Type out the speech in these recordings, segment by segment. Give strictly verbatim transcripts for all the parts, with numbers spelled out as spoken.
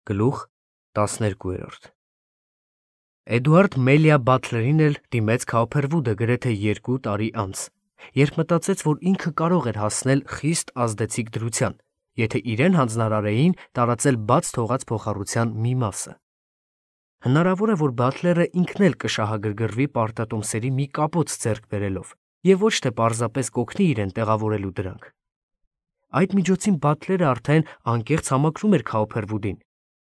Գլուխ տասներկու։ Էդուարդ Մելիա Բաթլերին էլ դիմեց Քաուփերվուդը գրեթե երկու տարի անց, երբ մտածեց, որ ինքը կարող էր հասնել խիստ ազդեցիկ դրության, եթե իրեն հանձնարարեին տարածել բաց թողած փոխառության մի մասը։ Հնարավոր է, որ Բաթլերը ինքն էլ կշահագրգռվի պարտատոմսերի մի կապոց ձեռք բերելով և ոչ թե պարզապես կօգնի իրեն տեղավորելու դրանք։ Այդ միջոցին Բաթլերը արդեն անկեղծ համակրում էր Քաուփերվուդին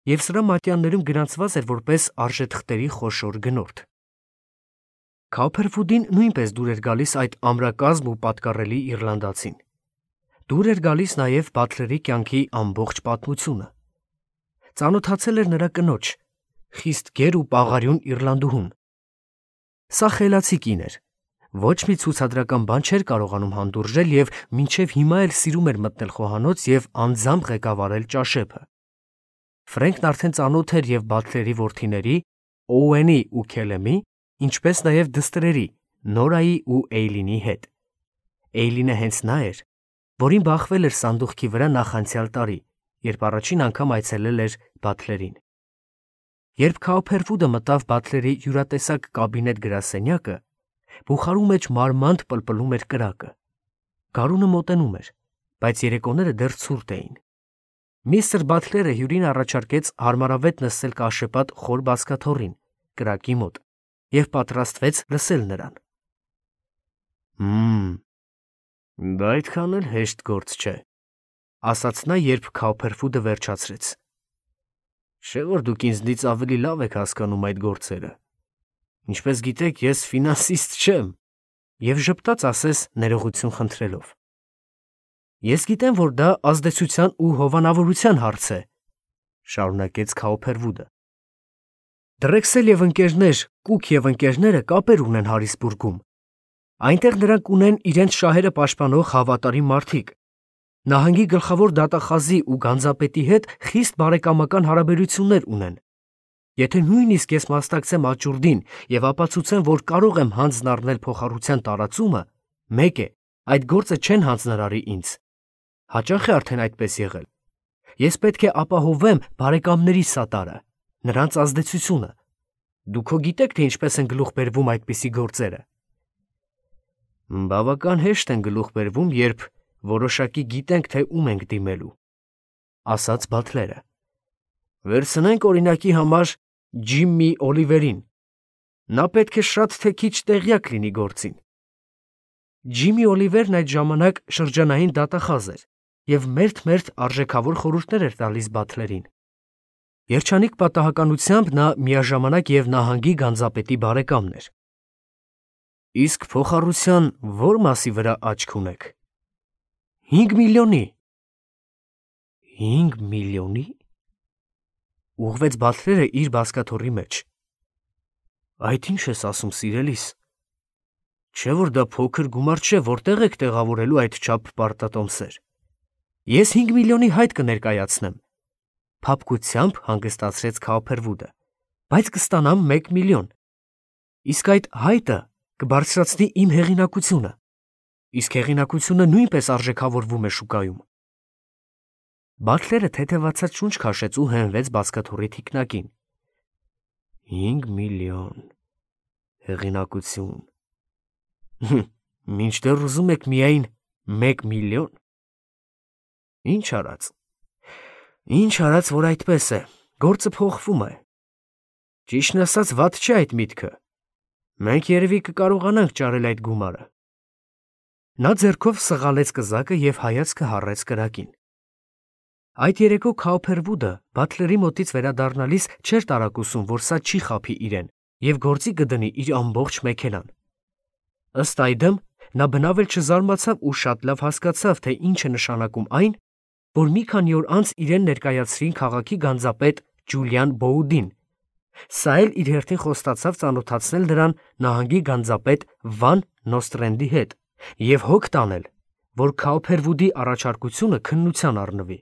և սրա մատյաններում գրանցված էր որպես արժեթղթերի խոշոր գնորդ։ Քաուփերվուդին նույնպես դուր էր գալիս այդ ամրակազմ ու պատկառելի իռլանդացին։ Դուր էր գալիս նաև Բաթլերի կյանքի ամբողջ պատմությունը։ Ծանոթացել էր նրա կնոջ, խիստ գեր ու պաղարյուն իռլանդուհուն։ Սա խելացի կին էր, ոչ մի ցուցադրական բան չէր կարողանում հանդուրժել և մինչև հիմա էլ սիրում էր մտնել խոհանոց և անձամբ ղեկավարել ճաշեփը։ Ֆրենքն արդեն ծանոթ էր և Բաթլերի որդիների՝ Օուենի ու Քելեմի, ինչպես նաև դստրերի՝ Նորայի ու Էյլինի հետ։ Էյլինը հենց նա էր, որին բախվել էր սանդուղքի վրա նախանցյալ տարի, երբ առաջին անգամ այցելել էր Բաթլերին։ Երբ Քաուփերվուդը մտավ Բաթլերի հյուրատեսակ կաբինետ գրասենյակը, բուխարու մեջ մարմանդ պլպլում էր կրակը։ Գարունը մոտենում էր, բայց երեկոները դեռ ցուրտ էին։ Միստր Բաթլերը հյուրին առաջարկեց հարմարավետ նստել կաշեպատ խոր բազկաթոռին, կրակի մոտ, և պատրաստվեց լսել նրան։ «Հմ, դա այդքան էլ հեշտ գործ չէ», ասաց նա, երբ Քաուփերվուդը վերջացրեց։ «Չէ՞ որ դուք ինձնից ավելի լավ եք հասկանում այդ գործերը։ Ինչպես գիտեք, ես ֆինանսիստ չեմ», և ժպտաց ասես ներողություն խնդրելով։ «Ես գիտեմ, որ դա ազդեցության ու հովանավորության հարց է», շարունակեց Քաուփերվուդը։ «Դրեքսել և ընկերներ, Կուք և ընկերները կապեր ունեն Հարիսբուրգում։ Այնտեղ նրանք ունեն իրենց շահերը պաշտպանող հավատարիմ մարդիկ։ Նահանգի գլխավոր դատախազի ու գանձապետի հետ խիստ բարեկամական հարաբերություններ ունեն։ Եթե նույնիսկ ես մասնակցեմ աճուրդին և ապացուցեմ, որ կարող եմ հանձն առնել փոխառության տարածումը, մեկ է, այդ գործը չեն հանձնարարի ինձ։ Հաճախ է արդեն այդպես եղել։ Ես պետք է ապահովեմ բարեկամներիս սատարը, նրանց ազդեցությունը։ Դուք հո գիտեք, թե ինչպես են գլուխ բերվում այդպիսի գործերը»։ «Բավական հեշտ են գլուխ բերվում, երբ որոշակի գիտենք, թե ում ենք դիմելու», ասաց Բաթլերը։ «Վերցնենք օրինակի համար Ջիմմի Օլիվերին։ Նա պետք է շատ թե քիչ տեղյակ լինի գործին»։ Ջիմմի Օլիվերն այդ ժամանակ շրջանային դատախազ էր և մերթ-մերթ արժեքավոր խորհուրդներ էր տալիս Բաթլերին։ Երջանիկ պատահականությամբ նա միաժամանակ և նահանգի գանձապետի բարեկամն էր։ «Իսկ փոխառության ո՞ր մասի վրա աչք ունեք»։ «Հինգ միլիոնի»։ «Հինգ միլիոնի՞», ուղղվեց Բաթլերը իր բազկաթոռի մեջ։ «Այդ ի՞նչ ես ասում, սիրելիս։ Չէ՞ որ դա փոքր գումար չէ, որտեղ եք տեղավորելու այդչափ պարտատոմսեր։ Ես հինգ միլիոնի հայտ կներկայացնեմ», փափկությամբ հանգստացրեց Քաուփերվուդը, «բայց կստանամ մեկ միլիոն։ Իսկ այդ հայտը կբարձրացնի իմ հեղինակությունը, իսկ հեղինակությունը նույնպես արժեքավորվում է շուկայում»։ Բաթլերը թեթևացած շունչ քաշեց ու հենվեց բազկաթոռի թիկնակին։ «Հինգ միլիոն… հեղինակություն… Մինչդեռ ուզում եք միայն մեկ միլիոն… Ինչ արած… Ինչ արած, որ այդպես է, գործը փոխվում է։ Ճիշտն ասած, վատ չէ այդ միտքը։ Մենք երևի կկարողանանք ճարել այդ գումարը»։ Նա ձեռքով սղալեց կզակը և հայացքը հառեց կրակին։ Այդ երեկո Քաուփերվուդը Բաթլերի մոտից վերադառնալիս չէր տարակուսում, որ սա չի խաբի իրեն և գործի կդնի իր ամբողջ մեքենան։ Ըստ այդմ, նա բնավ էլ չզարմացավ ու շատ լավ հասկացավ, թե ինչ է նշանակում այն, որ մի քանի օր անց իրեն ներկայացրին քաղաքի գանձապետ Ջուլիան Բոուդին։ Սա էլ իր հերթին խոստացավ ծանոթացնել նրան նահանգի գանձապետ Վան Նոստրենդի հետ և հոգ տանել, որ Քաուփերվուդի առաջարկությունը քննության առնվի։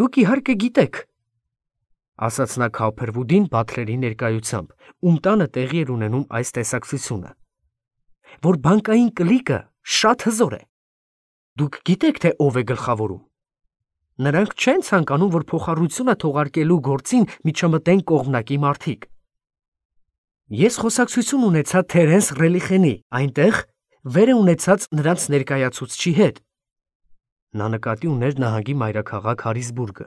«Դուք իհարկե գիտեք», ասաց նա Քաուփերվուդին Բաթլերի ներկայությամբ, ում տանը տեղի էր ունենում այս տեսակցությունը, «որ բանկային կլիկը շատ հզոր է։ Դուք գիտեք, թե ով է գլխավորում։ Նրանք չեն ցանկանում, որ փոխառությունը թողարկելու գործին միջամտեն կողմնակի մարդիկ։ Ես խոսակցություն ունեցա Թերենս Ռելիխենի, այնտեղ վեր է ունեցած նրանց ներկայացուցչի հետ։ Նա նկատի ուներ նահանգի մայրաքաղաք Հարիսբուրգը,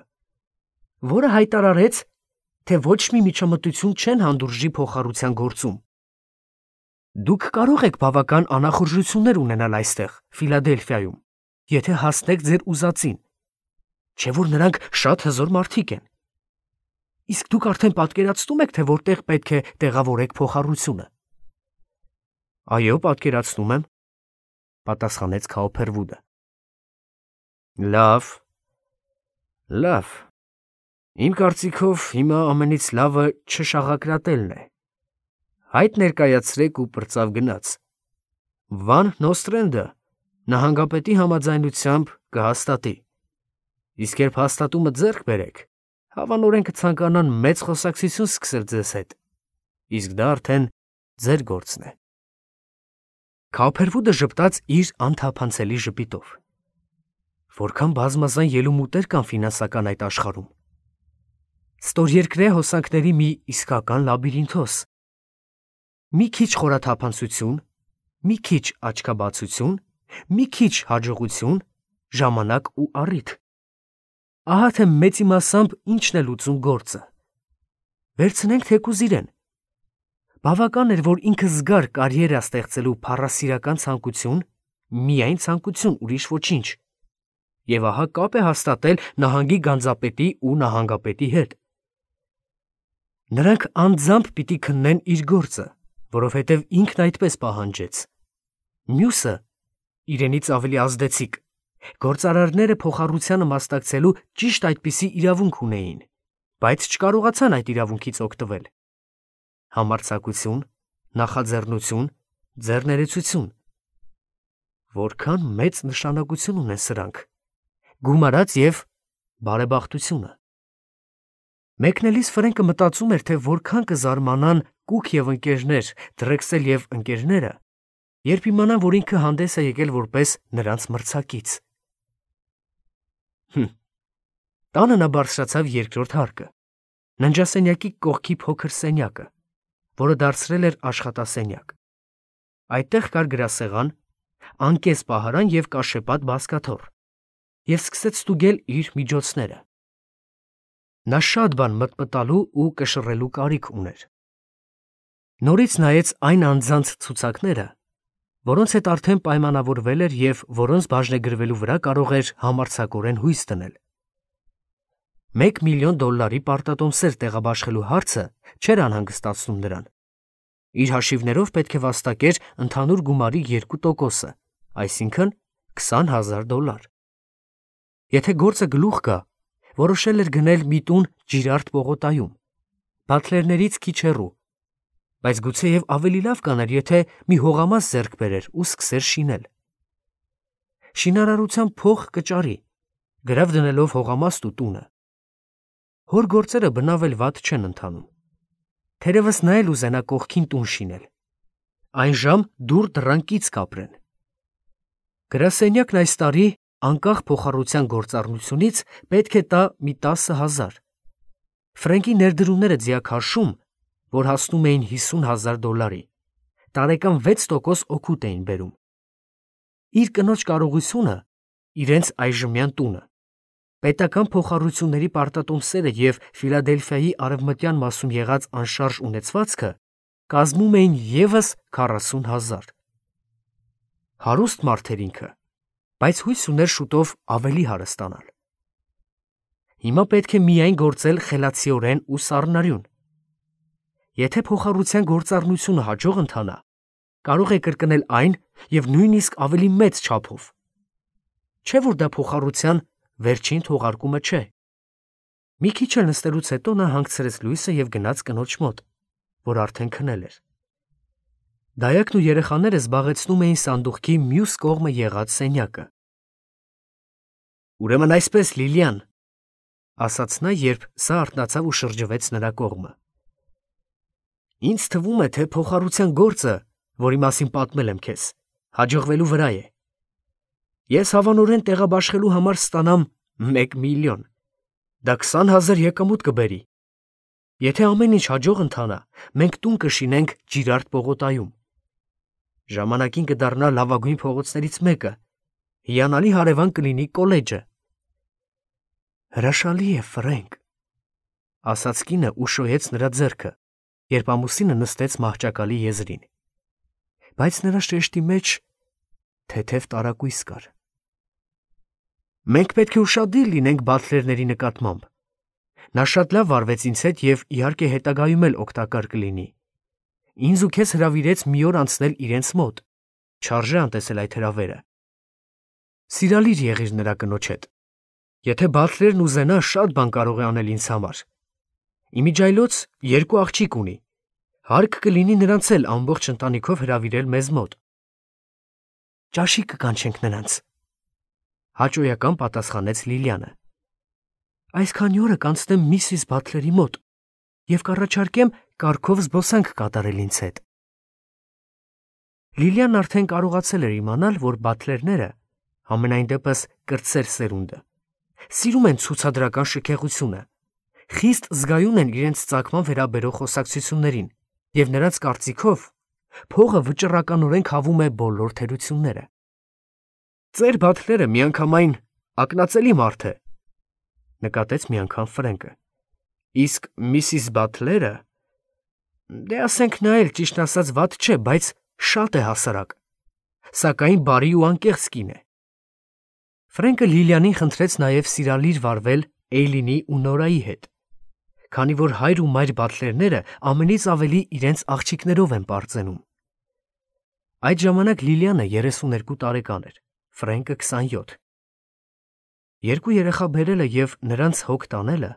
որը հայտարարեց, թե ոչ մի միջամտություն չեն հանդուրժի փոխառության գործում։ Դուք կարող եք բավական անախորժություններ ունենալ այստեղ, Ֆիլադելֆիայում, եթե հասնեք ձեր ուզածին, չէ որ նրանք շատ հզոր մարդիկ են։ Իսկ դուք արդեն պատկերացնում եք, թե որտեղ պետք է տեղավորեք փոխառությունը։ Այո, պատկերացնում եմ, պատասխանեց Քաուփերվուդը։ Լավ, լավ։ Իմ կարծիքով հիմա ամենից լավը չշաղակրատելն է։ Հայտ ներկայացրեք ու պրծավ գնաց։ Վան Նոստրենդը նահանգապետի համաձայնությամբ կհաստատի։ Իսկ երբ հաստատումը ձեռք բերեք, հավանորեն կցանկանան մեծ խոսակցություն սկսել ձեզ հետ։ Իսկ դա արդեն ձեր գործն է։ Քաուփերվուդը ժպտաց իր անթափանցելի ժպիտով։ Որքան բազմազան ելումուտեր կան ֆինանսական այդ աշխարհում։ Ստորերկրե հոսանքների մի իսկական լաբիրինթոս։ Մի քիչ խորաթափանցություն, մի քիչ աչքաբացություն, մի քիչ հաջողություն, ժամանակ ու առիթ։ Ահա թե մեծ իմասամբ ինչն է լուծում գործը։ Վերցնենք թեկուզ իրեն։ Բավական էր, որ ինքը զգար կարիերա ստեղծելու փառասիրական ցանկություն, միայն ցանկություն, ուրիշ ոչինչ։ Եվ ահա կապ է հաստատել նահանգի գանձապետի ու նահանգապետի հետ։ Նրանք անձամբ պիտի քննեն իր գործը, որովհետև ինքն այդպես պահանջեց։ Մյուսը իրենից ավելի ազդեցիկ։ Գործարարները փոխառությանը մասնակցելու ճիշտ այդպիսի իրավունք ունեին, բայց չկարողացան այդ իրավունքից օգտվել։ Համարձակություն, նախաձեռնություն, ձեռներեցություն։ Որքան մեծ նշանակություն ունեն սրանք։ Գումարած եւ բարեբախտությունը։ Մեկնելիս Ֆրենկը մտածում էր, թե որքան կզարմանան Կուք եւ ընկերներ, Դրեքսել եւ ընկերները, երբ իմանան, որ ինքը հանդես է եկել որպես նրանց մրցակից։ Հմ։ Տանը նա բարձրացավ երկրորդ հարկը, ննջասենյակի կողքի փոքր սենյակը, որը դարձրել էր աշխատասենյակ։ Այդտեղ կար գրասեղան, անկես պահարան եւ կաշեպատ բազկաթոռ, եւ սկսեց ստուգել իր միջոցները։ Նա շատ բան մտմտալու ու կշռելու կարիք ուներ։ Նորից նայեց այն անձանց ցուցակները, որոնց հետ արդեն պայմանավորվել էր եւ որոնց բաժնեգրվելու վրա կարող էր համարձակորեն հույս դնել։ Մեկ միլիոն դոլարի պարտատոմսեր տեղաբաշխելու հարցը չէր անհանգստացնում նրան։ Իր հաշիվներով պետք է վաստակեր ընդհանուր գումարի երկու տոկոսը, այսինքն քսան հազար դոլար։ Եթե գործը գլուխ գա, որոշել էր գնել մի տուն Ջիրարդ պողոտայում, բատլերներից քիչ հեռու, բայց գուցեև ավելի լավ կաներ, եթե մի հողամաս ձեռք բերեր ու սկսեր շինել։ Շինարարության փող կճարի, գրավ դնելով հողամաստ ու տունը։ Հոր գործերը բնավ էլ վատ չեն ընթանում։ Թերևս նա էլ ուզենա կողքին տուն շինել։ Այն ժամ դուր դռանկից կապրեն։ Գրասենյակն այս տարի անկախ փոխառության գործառնությունից պետք է տա մի տասը հազար։ Ֆրենկի ներդրումները ձիաքարշում, որ հասնում էին հիսուն հազար դոլարի, տարեկան վեց տոկոս օգուտ էին բերում։ Իր կնոջ կարողությունը, իրենց այժմյան տունը, պետական փոխառությունների պարտատոմսերը եւ Ֆիլադելֆիայի արևմտյան մասում եղած անշարժ ունեցվածքը կազմում էին եւս քառասուն հազար։ Հարուստ մարդ էր ինքը, բայց հույս ուներ շուտով ավելի հարստանալ։ Հիմա պետք է միայն գործել խելացիորեն ու սառնարյուն։ Եթե փոխառության գործառնությունը հաջող ընթանա, կարող է կրկնել այն եւ նույնիսկ ավելի մեծ չափով։ Չէ՞ որ դա փոխառության վերջին թողարկումը չէ։ Մի քիչ էլ նստելուց հետո նա հանգցրեց լույսը եւ գնաց կնոջ մոտ, որ արդեն քնել էր։ Դայակն ու երեխաները զբաղեցնում էին սանդուղքի մյուս կողմը եղած սենյակը։ Ուրեմն այսպես, Լիլիան, ասաց նա, երբ սա արթնացավ ու շրջվեց նրա կողմը։ Ինձ թվում է, թե փոխառության գործը, որի մասին պատմել եմ քեզ, հաջողվելու վրա է։ Ես հավանորեն տեղաբաշխելու համար ստանամ Մեկ միլիոն։ Դա քսան հազար եկամուտ կբերի։ Եթե ամեն ինչ հաջող ընթանա, մենք տուն կշինենք Ջիրարդ պողոտայում։ Ժամանակին կդառնա լավագույն փողոցներից մեկը, հիանալի հարևան կլինի կոլեջը։ Հրաշալի է, Ֆրենկ, ասաց կինը ու շոյեց նրա ձեռքը, երբ ամուսինը նստեց մահճակալի եզրին։ Բայց նրա շեշտի մեջ թեթև տարակույս կար։ Մենք պետք է ուշադիր լինենք բատլերների նկատմամբ։ Նա շատ լավ վարվեց ինձ հետ և իհարկե հետագայում էլ օգտակար կլինի։ Ինձ ու քեզ հրավիրեց մի օր անցնել իրենց մոտ։ Չարժե անտեսել այդ հրավերը։ Սիրալիր եղիր նրա կնոջ հետ։ Եթե բատլերն ուզենա, շատ բան կարող է անել ինձ համար։ Իմիջայլոց երկու աղջիկ ունի։ Հարկ կլինի նրանց էլ ամբողջ ընտանիքով հրավիրել մեզ մոտ։ Ճաշի կկանչենք նրանց, հաճոյական պատասխանեց Լիլիանը։ Այսքանի օրը կանցնեմ միսիս Բատլերի մոտ և կառաջարկեմ կարգով զբոսանք կատարել ինձ հետ։ Լիլիան արդեն կարողացել էր իմանալ, որ բատլերները, համենայն դեպս կրտսեր սերունդը, սիրում են ցուցադրական շքեղությունը, խիստ զգայուն են իրենց ծագման վերաբերող խոսակցություններին և նրանց կարծիքով փողը վճռականորեն քավում է բոլոր թերությունները։ Ձեր բատլերը միանգամայն ակնածելի մարդ է, նկատեց մի անգամ Ֆրենկը։ Իսկ միսիս Բատլերը, դե ասենք նա էլ ճիշտ ասած վատ չէ, բայց շատ է հասարակ, սակայն բարի ու անկեղծ կին է։ Ֆրենկը Լիլիանին խնդրեց նաև սիրալիր վարվել Էյլինի ու Նորայի հետ, քանի որ հայր ու մայր բատլերները ամենից ավելի իրենց աղջիկներով են պարծենում։ Այդ ժամանակ Լիլիանը երեսուներկու տարեկան էր, Ֆրենկը քսանյոթ։ Երկու երեխա բերելը և նրանց հոգ տանելը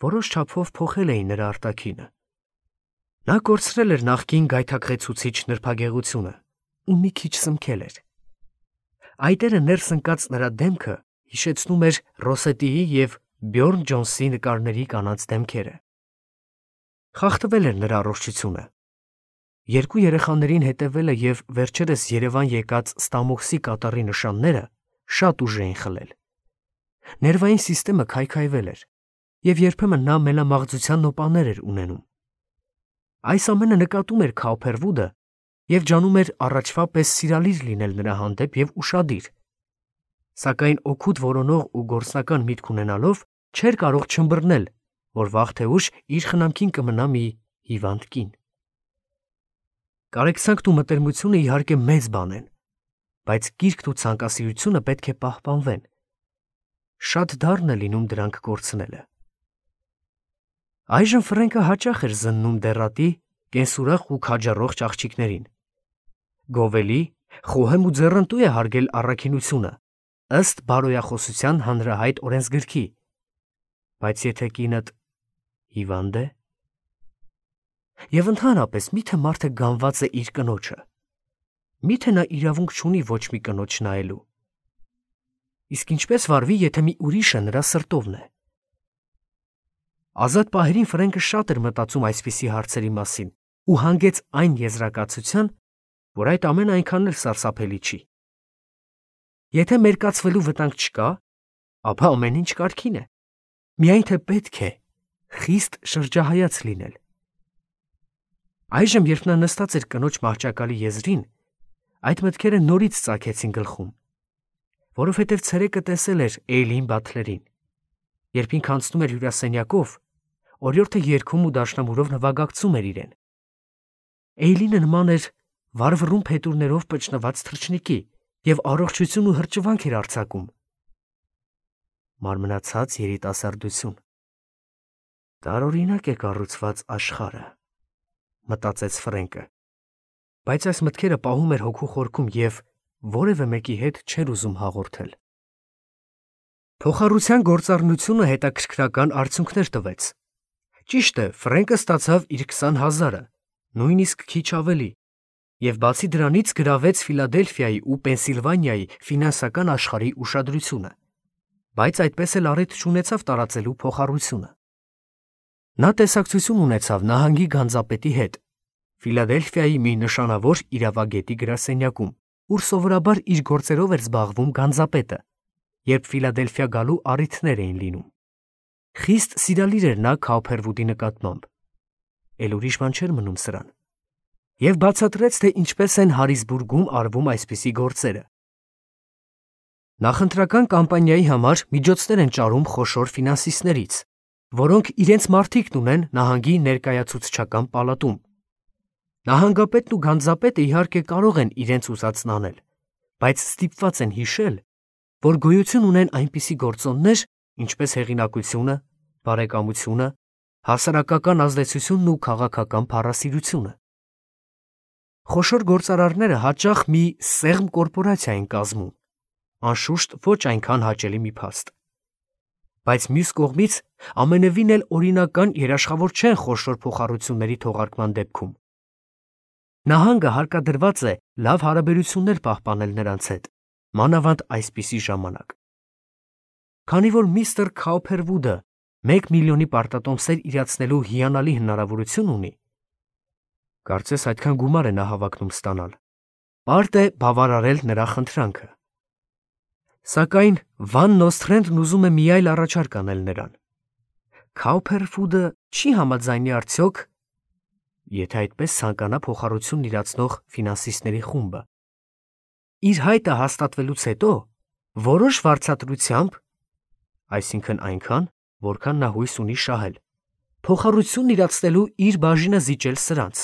որոշ չափով փոխել էին նրա արտաքինը։ Նա կորցրել էր նախկին գայթակղեցուցիչ նրբագեղությունը ու մի քիչ սմքել էր։ Այտերը ներս ընկած նրա դեմքը հիշեցնում էր Ռոսետիի և Բյորն Ջոնսի նկարների կանանց դեմքերը։ Խախտվել էր նրա առողջությունը։ Երկու երեխաներին հետևելը և վերջերս Երևան եկած Ստամոքսի կատառի նշանները շատ ուժ էին խլել։ Ներվային սիստեմը քայքայվել էր, և երբեմն նա մենամաղձության նոպաներ էր ունենում։ Այս ամենը նկատում էր Քաուփերվուդը և ջանում էր առաջվա պես սիրալիր լինել նրա հանդեպ և ուշադիր, սակայն օգուտ որոնող ու գործնական միտք ունենալով չէր կարող չըմբռնել, որ վաղ թե ուշ իր խնամքին կմնա մի հիվանդ կին։ Կարեկցանքն ու մտերմությունը իհարկե մեծ բան են, բայց կիրքն ու ցանկասիրությունը պետք է պահպանվեն։ Շատ դառն է լինում դրանք կորցնելը։ Այժմ Ֆրենկը հաճախ էր զննում դեռատի, կենսուրախ ու քաջառող աղջիկներին։ Գովելի, խոհեմ ու ձեռնտու է հարգել առաքինությունը, ըստ բարոյախոսության հանրահայտ օրենսգրքի։ Բայց եթե կինդ հիվանդ է, և ընդհանրապես միթե մարդը գանված է իր կնոջը, միթե նա իրավունք չունի ոչ մի կնոջ նայելու։ Իսկ ինչպես վարվի, եթե մի ուրիշը նրա սրտովն է։ Ազատ պահերին Ֆրենկը շատ էր մտածում այսպիսի հարցերի մասին ու հանգեց այն եզրակացության, որ այդ ամենը այնքան էլ սարսափելի չի։ Եթե մերկացվելու վտանգ չկա, ապա ամեն ինչ կարգին է։ Միայն թե պետք է խիստ շրջահայաց լինել։ Այժմ, երբ նա նստած էր կնոջ մահճակալի եզրին, այդ մտքերը նորից ծագեցին գլխում, որովհետև ցերեկը տեսել էր Էյլին Բատլերին, երբ ինքը անցնում էր հյուրասենյակով, օրիորդը երգում ու դաշնամուրով նվագակցում էր իրեն։ Էյլինը նման էր վառվռուն փետուրներով պճնված թռչնիկի և առողջություն ու հրճվանք էր արձակում։ Մարմնացած երիտասարդություն։ Տարօրինակ է կառուցված աշխարհը, մտածեց Ֆրենկը, բայց այս մտքերը պահում էր հոգու խորքում և որևէ մեկի հետ չէր ուզում հաղորդել։ Փոխառության գործառնությունը հետաքրքրական արդյունքներ տվեց։ Ճիշտ է, Ֆրենկը ստացավ իր քսան հազարը, նույնիսկ քիչ ավելի, և բացի դրանից գրավեց Ֆիլադելֆիայի ու Պենսիլվանիայի ֆինանսական աշխարհի ուշադրությունը, բայց այդպես էլ առիթ չունեցավ տարածելու փոխառությունը։ Նա տեսակցություն ունեցավ նահանգի գանձապետի հետ, Ֆիլադելֆիայի մի նշանավոր իրավագետի գրասենյակում, ուր սովորաբար իր գործերով էր զբաղվում գանձապետը, երբ Ֆիլադելֆիա գալու առիթներ էին լինում։ Խիստ սիրալիր էր նա Քաուփերվուդի նկատմամբ, էլ ուրիշ բան չէր մնում սրան, և բացատրեց, թե ինչպես են Հարիսբուրգում արվում այսպիսի գործերը։ Նախընտրական կամպանիայի համար միջոցներ են ճարում խոշոր ֆինանսիստներից, որոնք իրենց մարդիկն ունեն նահանգի ներկայացուցչական պալատում։ Նահանգապետն ու գանձապետը իհարկե կարող են իրենց ուզածն անել, բայց ստիպված են հիշել, որ գոյություն ունեն այնպիսի գործոններ, ինչպես հեղինակությունը, բարեկամությունը, հասարակական ազդեցությունն ու քաղաքական փառասիրությունը։ Խոշոր գործարարները հաճախ մի սեղմ կորպորացիա են կազմում, անշուշտ ոչ այնքան հաճելի մի փաստ։ Բայց մյուս կողմից ամենևին էլ օրինական երաշխավոր չեն խոշոր փոխառությունների թողարկման դեպքում։ Նահանգը հարկադրված է լավ հարաբերություններ պահպանել նրանց հետ, մանավանդ այսպիսի ժամանակ։ Քանի որ միստր Քաուփերվուդը մեկ միլիոնի պարտատոմսեր իրացնելու հիանալի հնարավորություն ունի, կարծես այդքան գումար է նա հավակնում ստանալ, պարտ է բավարարել նրա խնդրանքը։ Սակայն Վան Նոսթրենդն ուզում է մի այլ առաջարկ անել նրան։ Քաուփերվուդը չի համաձայնի արդյոք, եթե այդպես ցանկանա փոխառությունն իրացնող ֆինանսիստների խումբը, իր հայտը հաստատվելուց հետո որոշ վարձատրությամբ, այսինքն այնքան, որքան նա հույս ունի շահել, փոխառությունն իրացնելու իր բաժինը զիջել սրանց։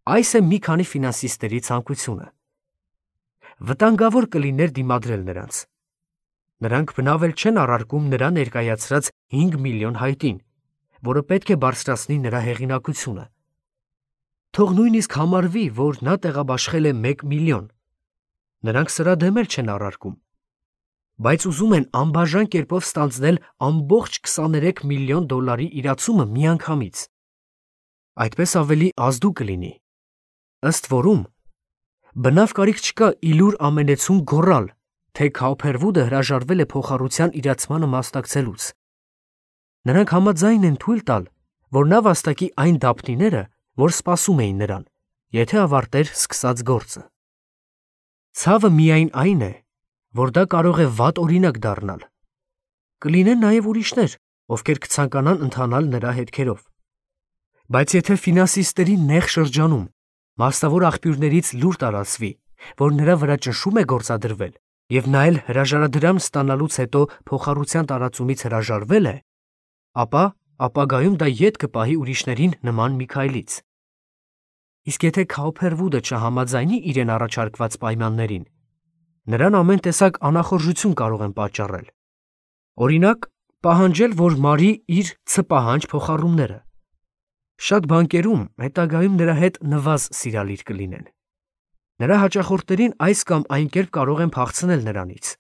Այս է մի քանի ֆինանսիստերի ցանկությունը։ Վտանգավոր կլիներ դիմադրել նրանց։ Նրանք բնավ էլ չեն առարկում նրա ներկայացրած հինգ միլիոն հայտին, որը պետք է բարձրացնի նրա հեղինակությունը։ Թող նույնիսկ համարվի, որ նա տեղաբաշխել է մեկ միլիոն։ Նրանք սրա դեմ էլ չեն առարկում, բայց ուզում են անբաժան կերպով ստանձնել ամբողջ քսաներեք միլիոն դոլարի իրացումը միանգամից։ Այդպես ավելի ազդու կլինի։ Ըստ որում, բնավ կարիք չկա իլուր ամենեցուն գոռալ, թե Քաուփերվուդը հրաժարվել է փոխառության իրացմանը մասնակցելուց։ Նրանք համաձայն են թույլ տալ, որ նա վաստակի այն դափնիները, որ սպասում էին նրան, եթե ավարտեր սկսած գործը։ Ցավը միայն այն է, որ դա կարող է վատ օրինակ դառնալ։ Կլինեն նաև ուրիշներ, ովքեր կցանկանան ընթանալ նրա հետքերով։ Բայց եթե ֆինանսիստերի նեղ շրջանում մասնավոր աղբյուրներից լուր տարածվի, որ նրա վրա ճնշում է գործադրվել, և նա էլ հրաժարադրամ ստանալուց հետո փոխառության տարածումից հրաժարվել է, ապա ապագայում դա ետ կպահի ուրիշներին նման մի քայլից։ Իսկ եթե Քաուփերվուդը չհամաձայնի իրեն առաջարկված պայմաններին, նրան ամեն տեսակ անախորժություն կարող են պատճառել։ Օրինակ, պահանջել, որ մարի իր ցպահանջ փոխառումները։ Շատ բանկերում հետագայում նրա հետ նվազ սիրալիր կլինեն։ Նրա հաճախորդներին այս կամ այն կերպ կարող են փախցնել նրանից։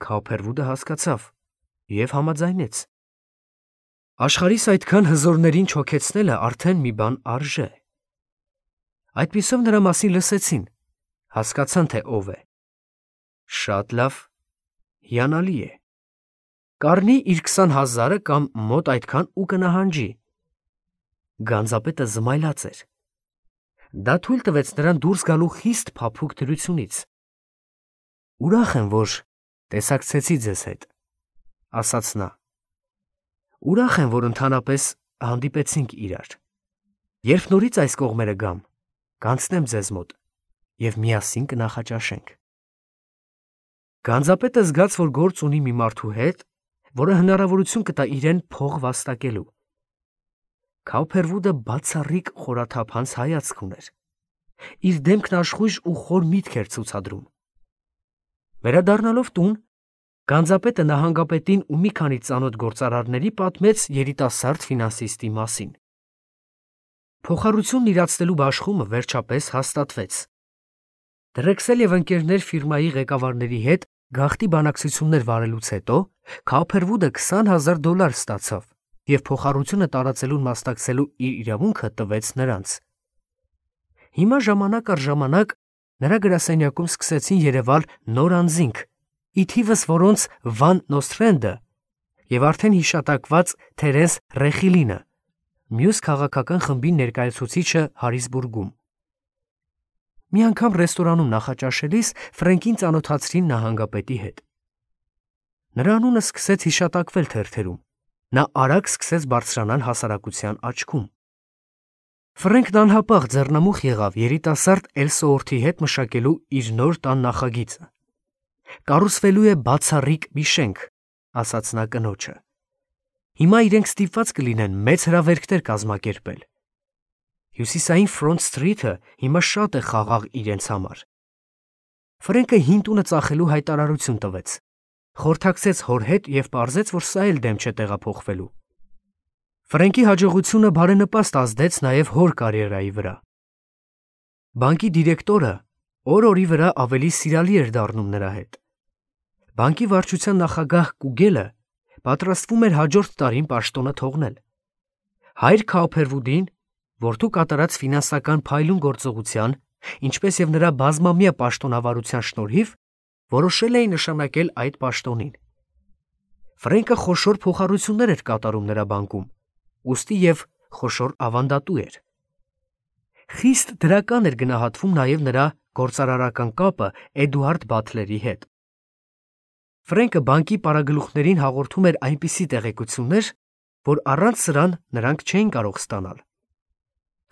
Քաուփերվուդը հասկացավ և համաձայնեց։ Աշխարհիս այդքան հզորներին չօգեցնելը արդեն մի բան արժե։ Այդպիսով նրա մասին լսեցին, հասկացան, թե ով է։ Շատ լավ, հիանալի է։ Կառնի իր քսան հազարը կամ մոտ այդքան ու կնահանջի։ Գանձապետը զմայլած էր։ Դա թույլ տվեց նրան դուրս գալու խիստ փափուկ դրությունից։ Ուրախ եմ, որ տեսակցեցի ձեզ հետ, ասաց նա։ Ուրախ եմ, որ ընդհանրապես հանդիպեցինք իրար։ Երբ նորից այս կողմերը գամ, կանցնեմ ձեզ մոտ և միասին կնախաճաշենք։ Գանձապետը զգաց, որ գործ ունի մի մարդու հետ, որը հնարավորություն կտա իրեն փող վաստակելու։ Քաուփերվուդը բացառիկ խորաթափանց հայացք ուներ։ Իր դեմքն աշխույժ ու խոր միտք էր ցուցադրում։ Վերադառնալով տուն, գանձապետը նահանգապետին ու մի քանի ծանոթ գործարարների պատմեց երիտասարդ ֆինանսիստի մասին։ Փոխառությունն իրացնելու բաշխումը վերջապես հաստատվեց։ Դրեքսել և ընկերներ ֆիրմայի ղեկավարների հետ գաղտնի բանակցություններ վարելուց հետո Քաուփերվուդը քսան հազար դոլար ստացավ և փոխառությունը տարածելուն մասնակցելու իր իրավունքը տվեց նրանց։ Հիմա ժամանակ առ ժամանակ նրա գրասենյակում սկսեցին երևալ նոր անձինք, ի թիվս որոնց Վան Նոսթրենդը և արդեն հիշատակված Թերենս Ռեխիլինը, մյուս քաղաքական խմբի ներկայացուցիչը Հարիսբուրգում։ Մի անգամ ռեստորանում նախաճաշելիս Ֆրենկին ծանոթացրին նահանգապետի հետ։ Նրա անունը սկսեց հիշատակվել թերթերում։ Նա արագ սկսեց բարձրանալ հասարակության աչքում։ Ֆրենքն անհապաղ ձեռնամուխ եղավ երիտասարդ Էլսոորթի հետ մշակելու իր նոր տան նախագիծը։ Կառուցվելու է բացառիկ մի շենք, ասաց նա կնոջը։ Հիմա իրենք ստիպված կլինեն մեծ հրավերքներ կազմակերպել։ Հյուսիսային Ֆրոնտ Սթրիթը հիմա շատ է խաղաղ իրենց համար։ Ֆրենկը հին տունը ծախելու հայտարարություն տվեց, խորհրդակցեց հոր հետ և պարզեց, որ սա էլ դեմ չէ տեղափոխվելու։ Ֆրենկի հաջողությունը բարենպաստ ազդեց նաև հոր կարիերայի վրա։ Բանկի դիրեկտորը օր-օրի վրա ավելի սիրալի էր դառնում նրա հետ։ Բանկի վարչության նախագահ Կուգելը պատրաստվում էր հաջորդ տարին պաշտոնը թողնել։ Հայր Քաուփերվուդին, որդու կատարած ֆինանսական փայլուն գործողության, ինչպես և նրա բազմամյա պաշտոնավարության շնորհիվ, որոշել էին նշանակել այդ պաշտոնին։ Ֆրենկը խոշոր փոխառություններ էր կատարում նրա բանկում, ուստի և խոշոր ավանդատու էր։ Խիստ դրական էր գնահատվում նաև նրա գործարարական կապը Էդուարդ Բաթլերի հետ։ Ֆրենկը բանկի պարագլուխներին հաղորդում էր այնպիսի տեղեկություններ, որ առանց սրան նրանք չէին կարող ստանալ։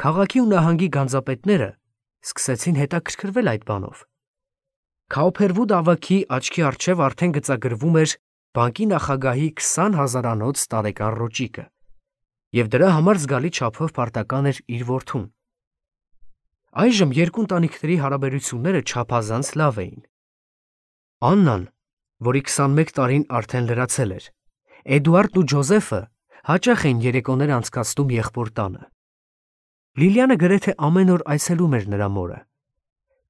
Քաղաքի ու նահանգի գանձապետները սկսեցին հետաքրքրվել այդ բանով։ Քաուփերվուդ ավագի աչքի առջև արդեն գծագրվում էր բանկի նախագահի քսան հազարանոց տարեկան ռոճիկը, և դրա համար զգալի չափով պարտական էր իր որդուն։ Այժմ երկու ընտանիքների հարաբերությունները չափազանց լավ էին։ Աննան, որի քսանմեկ տարին արդեն լրացել էր, Էդուարդն ու Ջոզեֆը հաճախ էին երեկոներ անցկացնում եղբոր տանը։ Լիլիանը գրեթե ամեն օր այցելում էր նրա մորը։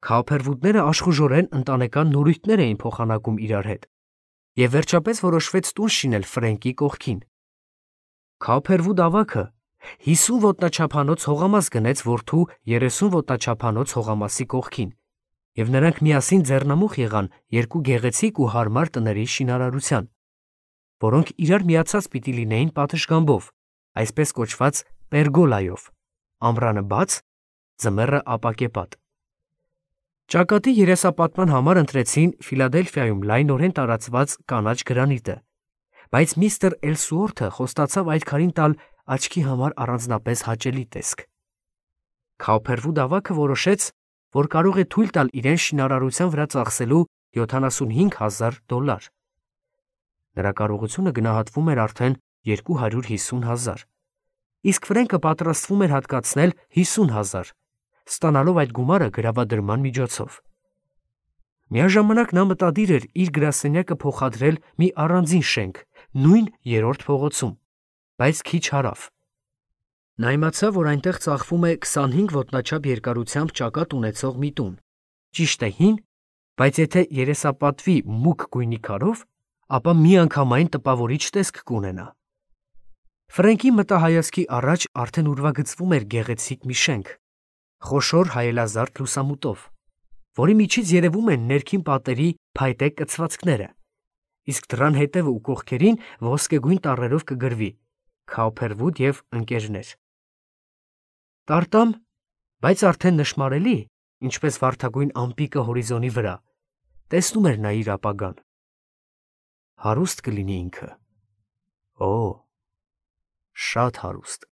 Քաուփերվուդները աշխուժորեն ընտանեկան նորույթներ էին փոխանակում իրար հետ, և վերջապես որոշվեց տուն շինել Ֆրենկի կողքին։ Քաուփերվուդ ավագը հիսուն ոտնաչափանոց հողամաս գնեց որդու երեսուն ոտնաչափանոց հողամասի կողքին, և նրանք միասին ձեռնամուխ եղան երկու գեղեցիկ ու հարմար տների շինարարության, որոնք իրար միացած պիտի լինեին պատշգամբով, այսպես կոչված պերգոլայով, ամռանը բաց, ձմեռը ապակեպատ։ Ճակատի երեսապատման համար ընտրեցին Ֆիլադելֆիայում լայնորեն տարածված կանաչ գրանիտը, բայց միստր Էլսուորթը խոստացավ այդ քարին տալ աչքի համար առանձնապես հաճելի տեսք։ Քաուփերվուդ ավագը որոշեց, որ կարող է թույլ տալ իրեն շինարարության վրա ծախսելու յոթանասունհինգ հազար դոլար։ Նրա կարողությունը գնահատվում էր արդեն երկու հարյուր հիսուն հազար, իսկ Ֆրենկը պատրաստվում էր հատկացնել հիսուն հազար, ստանալով այդ գումարը գրավադրման միջոցով։ Միաժամանակ նա մտադիր էր իր գրասենյակը փոխադրել մի առանձին շենք նույն երրորդ փողոցում, բայց քիչ հարավ։ Նա իմացավ, որ այնտեղ ծախվում է քսանհինգ ոտնաչափ երկարությամբ ճակատ ունեցող մի տուն, ճիշտ է հին, բայց եթե երեսապատվի մուգ գույնի քարով, ապա միանգամայն տպավորիչ տեսք կունենա։ Ֆրենկի մտահայացքի առաջ արդեն ուրվագծվում էր գեղեցիկ մի շենք, խոշոր հայելազարդ լուսամուտով, որի միջից երևում են ներքին պատերի փայտե կցվածքները, իսկ դռան հետևը ու կողքերին ոսկեգույն տառերով կգրվի Քաուփերվուդ և ընկերներ։ Տարտամ, բայց արդեն նշմարելի, ինչպես վարդագույն ամպիկը հորիզոնի վրա, տեսնում էր նա իր ապագան։ Հարուստ կլինի ինքը։ Օ, շատ հարուստ։